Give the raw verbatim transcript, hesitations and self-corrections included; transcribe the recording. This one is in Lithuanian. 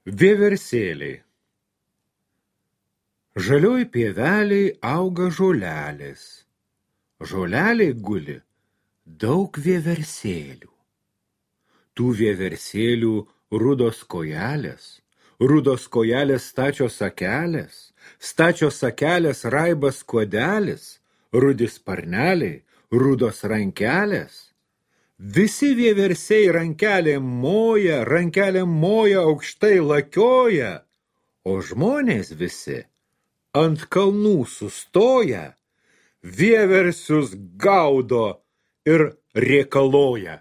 Vieversėliai. Žalioj pieveliai auga žolelės. Žoleliai guli daug vieversėlių. Tų vieversėlių rudos kojelės, rudos kojelės stačios akelės, stačios akelės raibas kuodelis, rudi sparneliai, rudos rankelės. Visi vieversiai rankelėm moja, rankelėm moja aukštai lakioja, o žmonės visi ant kalnų sustoja, vieversius gaudo ir rėkaloja.